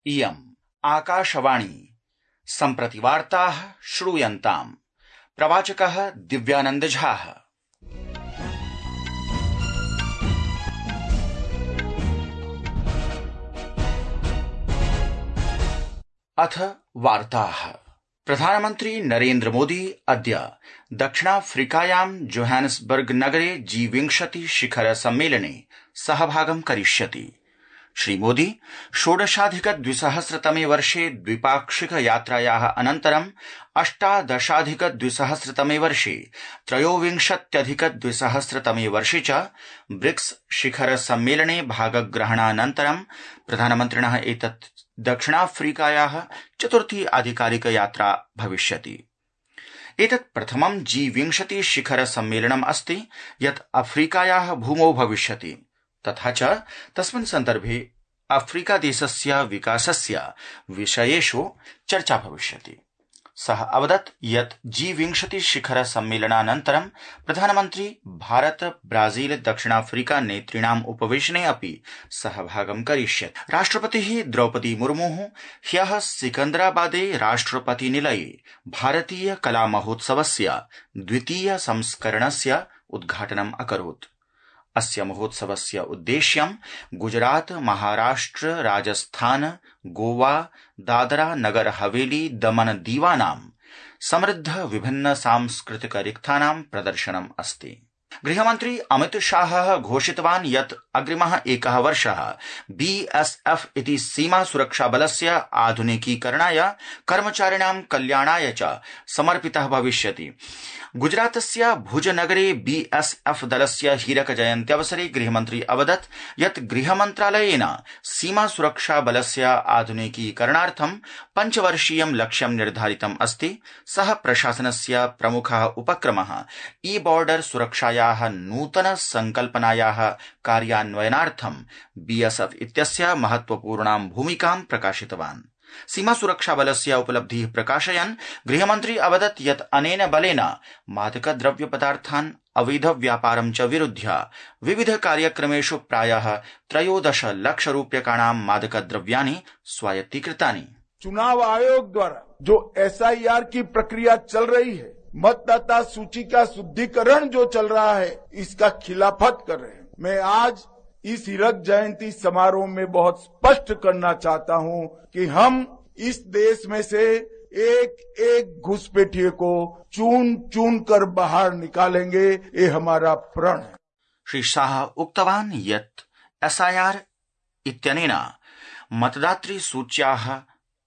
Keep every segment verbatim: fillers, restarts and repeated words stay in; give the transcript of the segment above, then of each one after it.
इयम् आकाशवाणी सम्प्रति वार्ताः श्रूयन्ताम्। प्रवाचकः दिव्यानंद झा। अथ वार्ताः। प्रधानमन्त्री नरेन्द्र मोदी अद्य दक्षिणाफ्रीकायां जोहान्सबर्ग नगरे जी विंशति शिखर सम्मेलने सहभागं करिष्यति। श्रीमोदी षोडशाधिक द्विसहस्रतमे वर्षे द्विपाक्षिक यात्रायाः अनन्तरं अष्टादशाधिक द्विसहस्रतमे वर्षे त्रयोविंशत्यधिक द्विसहस्रतमे वर्षे च ब्रिक्स शिखर सम्मेलने भागग्रहणानन्तरं प्रधानमन्त्रिणः एतत् दक्षिणाफ्रीकायाः चतुर्थी आधिकारिक यात्रा भविष्यति। एतत् प्रथमं जी विंशति शिखर सम्मेलनम् अस्ति यत् अफ्रीकायाः भूमौ भविष्यति, तथा च तस्मिन् सन्दर्भे अफ्रीका देशस्य विकासस्य विषयेषु चर्चा भविष्यति। सः अवदत् यत् जी विंशति शिखर सम्मेलनानन्तरं प्रधानमन्त्री भारत ब्राजील दक्षिणाफ्रीका नेतॄणाम् उपवेशने अपि सहभागं करिष्यति। राष्ट्रपतिः द्रौपदी मुर्मुः ह्यः सिकन्दराबादे राष्ट्रपतिनिलये भारतीय कला महोत्सवस्य द्वितीय संस्करणस्य उद्घाटनम् अकरोत्। अस्य महोत्सवस्य उद्देश्यं गुजरात, महाराष्ट्र, राजस्थान, गोवा, दादरा नगर हवेली, दमन दीवानां समृद्ध विभिन्न सांस्कृतिक रिक्थानां प्रदर्शनम् अस्ति। गृहमन्त्री अमित शाहः घोषितवान् यत् अग्रिमः एकः वर्षः बीएसएफ इति सीमा सुरक्षा बलस्य आधुनिकीकरणाय, कर्मचारिणां कल्याणाय च समर्पितः भविष्यति। गुजरातस्य भुजनगरे बीएसएफ दलस्य हीरक जयन्त्यवसरे गृहमन्त्री अवदत् यत् गृहमन्त्रालयेन सीमा सुरक्षा बलस्य आधुनिकीकरणार्थं पञ्चवर्षीयं लक्ष्यं निर्धारितम् अस्ति। सः प्रशासनस्य प्रमुखः उपक्रमः ई बॉर्डर सुरक्षायाः नूतन संकल्पनायाः कार्यान्वयनार्थं बीएसएफ इत्यस्य महत्वपूर्णां भूमिकां प्रकाशितवान्। सीमा सुरक्षा बलस्य उपलब्धिः प्रकाशयन् गृहमन्त्री अवदत् यत् अनेन बलेन मादक द्रव्य पदार्थान् अवैध व्यापारं च विरुध्य विविध कार्यक्रमेषु प्रायः त्रयोदश लक्ष रूप्यकाणां मादक द्रव्याणि स्वायत्तीकृतानि। चुनाव आयोग द्वारा जो एसआईआर की प्रक्रिया चल रही है, मतदाता सूची का शुद्धिकरण जो चल रहा है, इसका खिलाफत कर रहे हैं। मैं आज इस हीरक जयंती समारोह में बहुत स्पष्ट करना चाहता हूं कि हम इस देश में से एक एक घुसपैठिए को चून चून कर बाहर निकालेंगे, ये हमारा प्रण है। श्री शाह उक्तवान् यत् एसआईआर इत्यनेन मतदातृ सूच्याः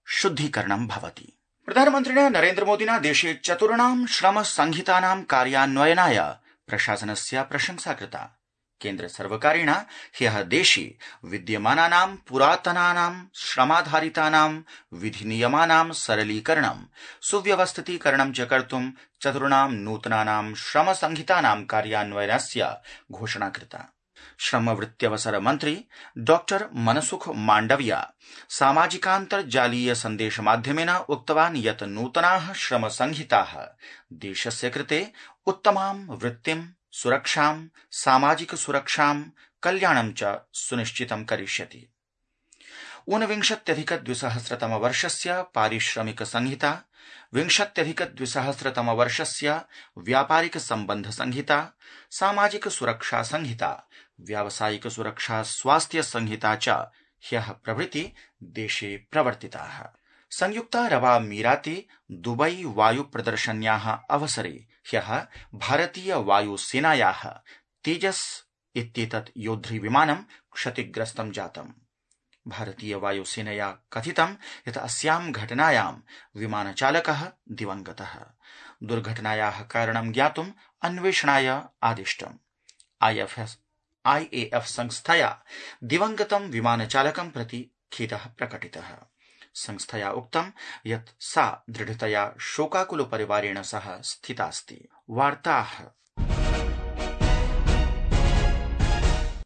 शुद्धीकरणं भवति। प्रधानमन्त्रिणा नरेन्द्र मोदिना देशे चतुर्णां श्रम संहितानां कार्यान्वयनाय प्रशासनस्य प्रशंसा कृता। केन्द्र सर्वकारेण ह्यः देशे विद्यमानानां पुरातनानां श्रमाधारितानां विधिनियमानां सरलीकरणं, सुव्यवस्थितीकरणं च कर्तुं चतुर्णां नूतनानां श्रम संहितानां कार्यान्वयनस्य घोषणा कृता। श्रमवृत्त्यवसर मन्त्री डॉक्टर मनसुख माण्डविया सामाजिकान्तर्जालीय सन्देश माध्यमेन उक्तवान् यत् नूतनाः श्रम संहिताः देशस्य कृते उत्तमां वृत्तिं, सुरक्षां, सामाजिक सुरक्षां, कल्याणं च सुनिश्चितं करिष्यति। ऊनविंशत्यधिक द्विसहस्रतम वर्षस्य पारिश्रमिक संहिता, विंशत्यधिक द्विसहस्रतम वर्षस्य व्यापारिक संबंध संहिता, सामाजिक सुरक्षा संहिता, व्यावसायिक सुरक्षा स्वास्थ्य संहिता च ह्यः प्रभृति देशे प्रवर्तिताः। संयुक्तारबामीराते दुबई वायु प्रदर्शन्याः अवसरे ह्यः भारतीय वायुसेनायाः तेजस इत्येतत् योद्धृविमानं क्षतिग्रस्तं जातम्। भारतीय वायुसेनया कथितं यत् अस्यां घटनायां विमानचालकः दिवंगतः। दुर्घटनायाः कारणं ज्ञातुम् अन्वेषणाय आदिष्टम्। आईएएफ संस्थया दिवंगतं विमानचालकं प्रति खेदः प्रकटितः। संस्थया उक्तं यत् सा दृढतया शोकाकुल परिवारेण सह स्थितास्ति। वार्ताः